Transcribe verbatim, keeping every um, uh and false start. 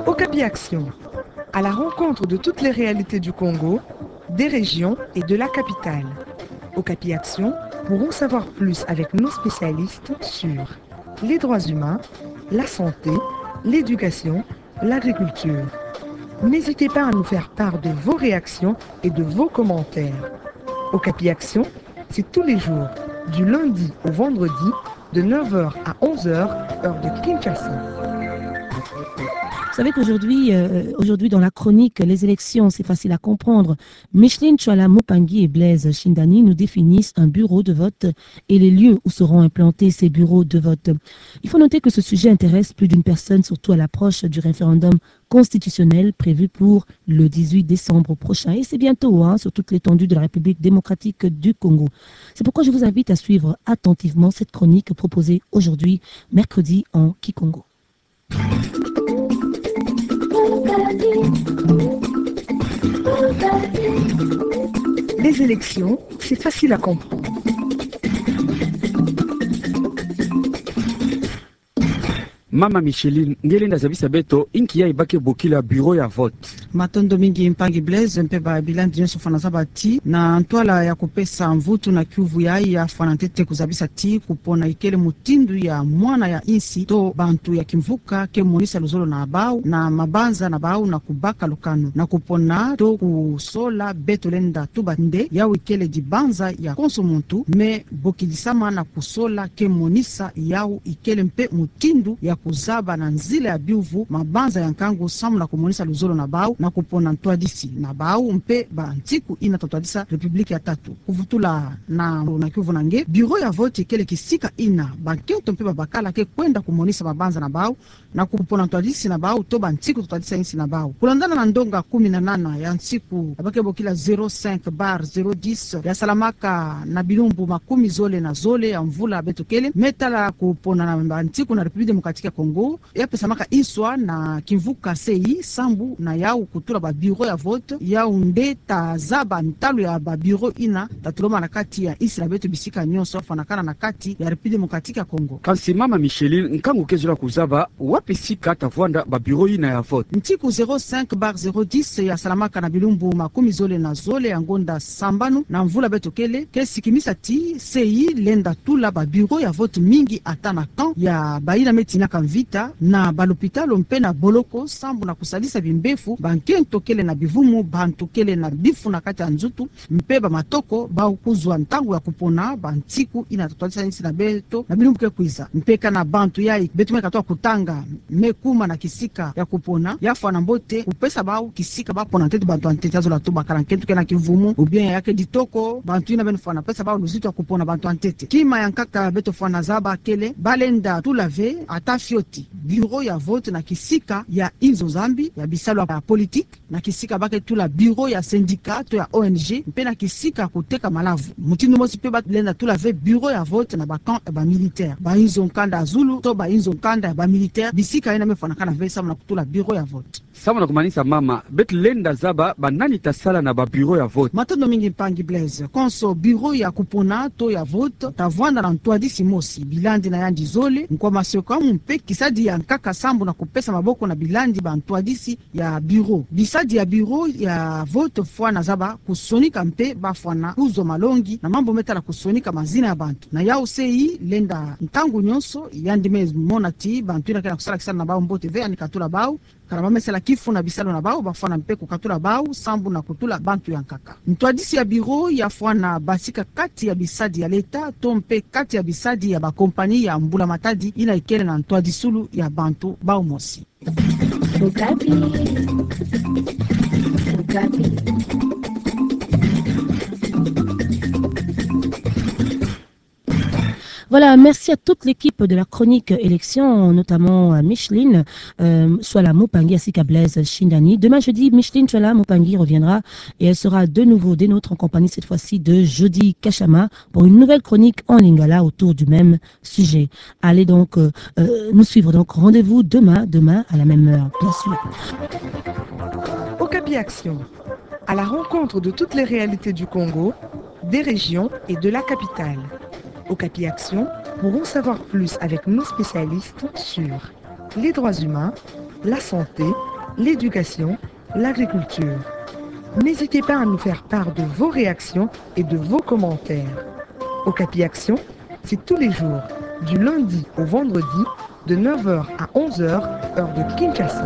Okapi Action, à la rencontre de toutes les réalités du Congo, des régions et de la capitale. Okapi Action pour en savoir plus avec nos spécialistes sur les droits humains, la santé, l'éducation, l'agriculture. N'hésitez pas à nous faire part de vos réactions et de vos commentaires. Okapi Action, c'est tous les jours, du lundi au vendredi, de neuf heures à onze heures, heure de Kinshasa. Vous savez qu'aujourd'hui, euh, aujourd'hui dans la chronique Les élections, c'est facile à comprendre. Micheline Tshuala Mupangi et Blaise Shindani nous définissent un bureau de vote et les lieux où seront implantés ces bureaux de vote. Il faut noter que ce sujet intéresse plus d'une personne, surtout à l'approche du référendum constitutionnel prévu pour le dix-huit décembre prochain. Et c'est bientôt, hein, sur toute l'étendue de la République démocratique du Congo. C'est pourquoi je vous invite à suivre attentivement cette chronique proposée aujourd'hui, mercredi, en Kikongo. Les élections, c'est facile à comprendre. Mama Micheline, nge lenda zabisa beto inki yayi bake bokila bureau ya vote. Matondo mingi mpangi Blaise, mpe babilandi nyonso fwana zaba ti, na ntwala ya kupesa mvutu na kiuvu yayi, ya fwana ntete kuzabisa ti kupona ikele mutindu ya mwana ya insi to bantu ya kimvuka ke monisa luzolo na bau na mabanza na bau na kubaka lukanu na kupona to kusola beto lenda tuba nde yawu ikele dibanza ya konso muntu, me bokidisama na kusola ke monisa yawu ikele mpe mutindu ya kuzaba na nzila ya biuvu mabanza ya nkangu samu na kumonisa luzolo na bau na kupona ntwadisi na bau mpe bantiku ina ta twadisa République ya tatu. Kuvutula na, na kiuvu na nge, bureau ya vote ikele kisika ina bankento mpe babakala ke kwenda kumonisa mabanza na bau na kupona ntwadisi na bau to bantiku ta twadisa insi na bau. Kulandana na ndonga kumi na nana ya nsiku ya bake bokila zéro cinq barre zéro dix ya salamaka na bilumbu makumi zole na zole ya mvula beto kele, me tala kupona na bantiku na République démocratique ya Congo, ya pesamaka nswa na kimvuka C I sambu na yawu kutula ba bureau ya vote, yawu nde ta zaba ntalu ya ba bureau ina ta tuloma na kati ya insi na beto bisika nyonso, fwanakana na kati ya République démocratique ya Congo. Kansi mama Micheline, nkangu ke zola kuzaba wapi sika ta vwanda ba bureau ina ya vote? Ntiku zéro cinq barre zéro dix ya salamaka na bilumbu makumi zole na zole ya ngonda sambanu na mvula beto kele, ke sikimisa ti C I lenda tula ba bureau ya vote mingi ata na camp ya bayina me tinaka mvita, na balopitalo mpe na boloko, sambu na kusalisa bimbefu bankento kele na bivumu, bantu kele na bifu na kati ya nzutu, mpe bamatoko, bau kuzwa ntangu ya kupona bantiku ina ta twadisa insi na beto na bilumbu ke kwiza. Mpe kana bantu yayi beto me katuka kutanga me kuma na kisika ya kupona, ya fwana mbote kupesa bau kisika bapona ntete bantu ya ntete. Ya zola tuba kana nkento ke na kivumu, ou bien ya ke ditoko, bantu ina beno fwana pesa bau luzitu ya kupona bantu ya ntete. Kima ya nkaka beto fwana zaba kele, balenda tula ve ata fioti bureau ya vote na kisika ya inzo Nzambi, ya bisalu ya politique, na kisika bake tula bureau ya syndicat to ya O N G, mpe na kisika kuteka malavu. Mutindu mosi mpe balenda tula ve bureau ya vote na ba camp ya ba militaire, ba inzo nkanda ya zulu to ba inzo nkanda ya ba militaire, bisika ina me fwanakana ve samu na kutula bureau ya vote. Samu na kumanisa mama, beto lenda zaba banani ta sala na ba bureau ya vote? Matondo mingi mpangi Blaise. Konso bureau ya kupona to ya vote ta vwanda na ntwadisi mosi, bilandi na yandi zole, nkwa masoko amu mpe kisadi ya nkaka sambu na kupesa maboko na bilandi ba ntwadisi ya bureau. Bisadi ya bureau ya vote fwana zaba kusonika mpe bafwana kuzwa malongi na mambu me tala kusonika mazina ya bantu. Na yawu C I lenda ntangu nyonso, yandi me mona ti bantu ina ke na kusala kisalu na bau mbote ve, yandi katula bau, kana ba me sala kifu na bisalu na bau, bafwana mpe kukatula bau sambu na kutula bantu ya nkaka. Ntwadisi ya bureau ya fwana basika kati ya bisadi ya leta to mpe kati ya bisadi ya ba compagnie ya mbula matadi ina ikele na ntwadisulu ya bantu bau mosi. Okapi. Okapi. Voilà, merci à toute l'équipe de la chronique élection, notamment à Micheline, euh, Tshuala Mupangi ainsi qu'à Blaise Shindani. Demain jeudi, Micheline Tshuala Mupangi reviendra et elle sera de nouveau des nôtres en compagnie cette fois-ci de Jody Kashama pour une nouvelle chronique en lingala autour du même sujet. Allez donc, euh, euh, nous suivre. Donc, rendez-vous demain, demain à la même heure, bien sûr. Okapi Action, à la rencontre de toutes les réalités du Congo, des régions et de la capitale. Okapi Action pour en savoir plus avec nos spécialistes sur les droits humains, la santé, l'éducation, l'agriculture. N'hésitez pas à nous faire part de vos réactions et de vos commentaires. Okapi Action, c'est tous les jours, du lundi au vendredi, de neuf heures à onze heures, heure de Kinshasa.